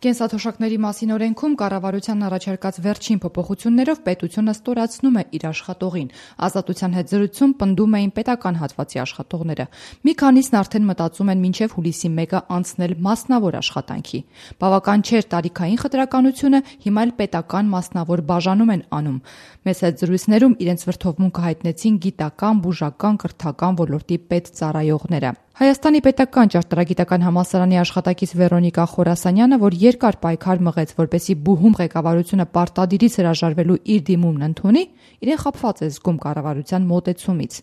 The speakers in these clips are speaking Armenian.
Կենսաթոշակների մասին օրենքում կառավարության առաջարկած վերջին փոփոխություններով պետությունը ստորացնում է իր աշխատողին։ Ազատության հետ զրույցում պնդում էին պետական հատվածի աշխատողները։ Մի քանիսն արդեն մտածում են մինչև հուլիսի 1-ը անցնել մասնավոր աշխատանքի։ Բավական չէր տարիքային խտրականությունը, հիմա էլ պետական մասնավոր բաժանում են անում։ Մեծ հետ զրույցներում իրենց վրդովմունքը հայտնեցին գիտական, բուժական, կրթական ոլորտի պետծառայողները։ Հայաստանի պետական ճարտարագիտական համալսարանի աշխատակից Վեռոնիկա Խորասանյանը, որ երկար պայքար մղեց, որպեսզի բուհում ղեկավարությունը պարտադիրից հրաժարվելու իր դիմումն ընդունի, իրեն խաբված է զգում կառավարության մոտեցումից։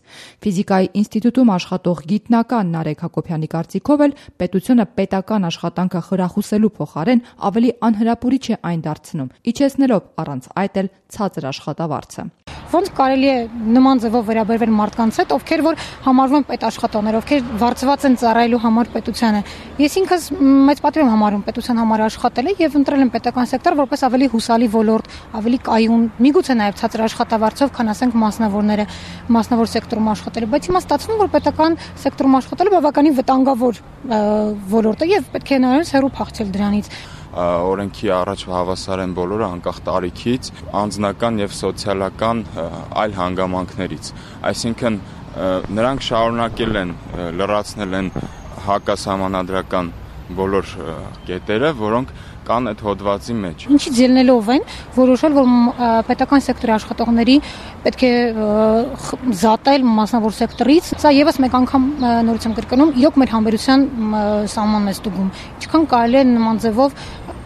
Ֆիզիկայի ինստիտուտում աշխատող գիտնական Նարեկ Հակոբյանի կարծիքով էլ պետությունը պետական աշխատանքը խրախուսելու փոխարեն ավելի անհրապուրիչ է այն դարձնում, իջեցնելով առանց այդ էլ ցածր աշխատավարձը։ Ոնց կարելի է նման ձևով վերաբերվել մարդկանց հետ, ովքեր որ համարվում են պետաշխատողներ, ովքեր վարձված են ծառայելու համար պետությանը։ Ես ինքս մեծ պատիվ եմ համարում պետության համար աշխատել եւ ընտրել եմ պետական սեկտոր որպես ավելի հուսալի ոլորտ, ավելի կայուն, միգուցե նաեւ ցածր աշխատավարձով, քան ասենք մասնավորները, մասնավոր սեկտորում աշխատել, բայց հիմա ստացվում որ պետական սեկտորում աշխատելը բավականին վտանգավոր ոլորտ է եւ պետք է նայած հեռու փախչել դրանից։ Օրենքի առաջ հավասար են բոլորը անկախ տարիքից, անձնական եւ սոցիալական այլ հանգամանքներից։ Այսինքն նրանք շարունակել են լրացնել են հակասահմանադրական բոլոր կետերը, որոնք կան այդ հոդվածի մեջ։ Ինչից ելնելով են որոշել, որ պետական սեկտորի աշխատողների պետք է զատել մասնավոր սեկտորից։ Սա եւս մեկ անգամ նորից եմ կրկնում, իրոք մեր համբերության սահմանն է ստուգում։ Ինչքան կարելի է նման ձևով,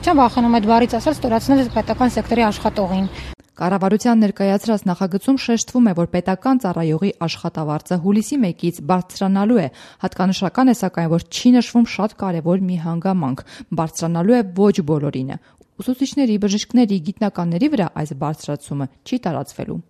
չեմ վախենում այդ բառից ասել, ստորացնել պետական սեկտորի աշխատողին։ Կառավարության ներկայացրած նախագծում շեշտվում է, որ պետական ծառայողի աշխատավարձը հուլիսի 1-ից բարձրանալու է։ Հատկանշական է սակայն, որ չի նշվում շատ կարևոր մի հանգամանք՝ բարձրանալու է ոչ բոլորինը։ Ուսուցիչների, բժիշկների, գիտնականների վրա այս բարձրացումը չի տարածվելու։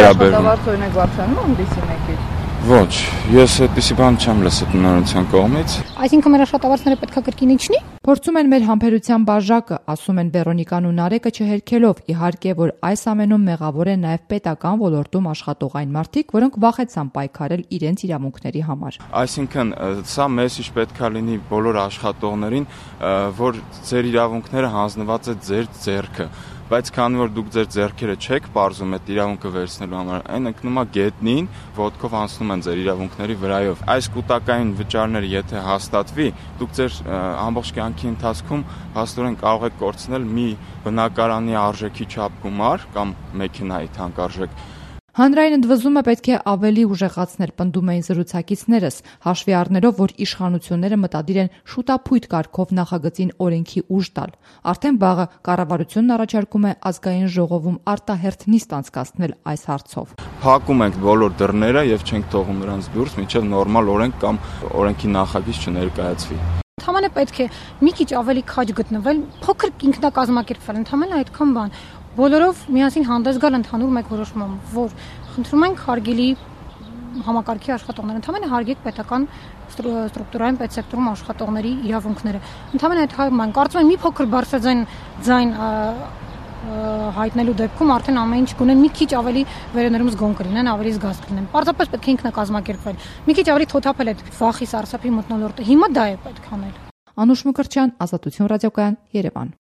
Աշխատավարձը օրինակ բարձրանում է հուլիսի 1-ից։ Ոչ, ես այդպիսի բան չեմ լսել տնօրինության կողմից։ Այսինքն մեր աշխատավարձները պետք է կրկին իջնի։ Փորձում են մեր համբերության բաժակը, ասում են Վեռոնիկան ու Նարեկը չհերքելով, իհարկե, որ այս ամենում մեղավոր են նաև պետական ոլորտում աշխատող այն մարդիկ, որոնք վախեցան պայքարել իրենց իրավունքների համար։ Այսինքն, սա մեսիջ պետք է լինի բոլոր աշխատողներին, որ ձեր իրավունքները հանձնված է ձեր ձեռքը։ Բայց քանի որ դուք ձեր ձեռքերը չեք պարզում այդ իրավունքը վերցնելու համար, այն ընկնում է գետնին, ոտքով անցնում են ձեր իրավունքների վրայով։ Այս կൂട്ടակային վճարները եթե հաստատվի, դուք ձեր ամբողջ կյանքի ընթացքում հաստորեն կարող եք կորցնել մի բնակարանի արժեքի չափ գումար կամ մեքենայի թանկարժեք։ Հանրային ընդվզումը պետք է ավելի ուժեղացնել, պնդում էին զրուցակիցներս, հաշվի առնելով, որ իշխանությունները մտադիր են շուտափույթ կարգով նախագծին օրենքի ուժ տալ։ Արդեն վաղը կառավարությունն առաջարկում է ազգային ժողովում արտահերթ նիստ անցկացնել այս հարցով։ Փակում ենք բոլոր դռները եւ չենք թողում նրանց դուրս, մինչեւ նորմալ օրենք կամ օրենքի նախագիծ չներկայացվի։ Ընդհանրապես պետք է մի քիչ ավելի քաջ գտնվել, փոքր ինքնակազմակերպվել, ընդհանրապես այդքան բան։ Բոլորով միասին հանդես գալ ընդհանուր մեկ որոշմամբ, որ խնդրում ենք հարգելի համակարգի աշխատողներ, ընդհանրապես հարգեք պետական ստրուկտուրային պետսեկտորում աշխատողների իրավունքները։ Ընդհանրապես այդ հայտման կարծում եմ մի փոքր բարձրաձայն հայտնելու դեպքում արդեն ամեն ինչ կունեն մի քիչ ավելի վերեներում զգոն կլինեն, ավելի զգաստ կլինեն։ Պարզապես պետք է ինքնակազմակերպվել։ Մի քիչ ավելի թոթափել այդ վախի սարսափի մթնոլորտը։ Հիմա դա է պետք անել։ Անուշ Մկրտչյան, Ազատություն ռադիոկայան, Երևան։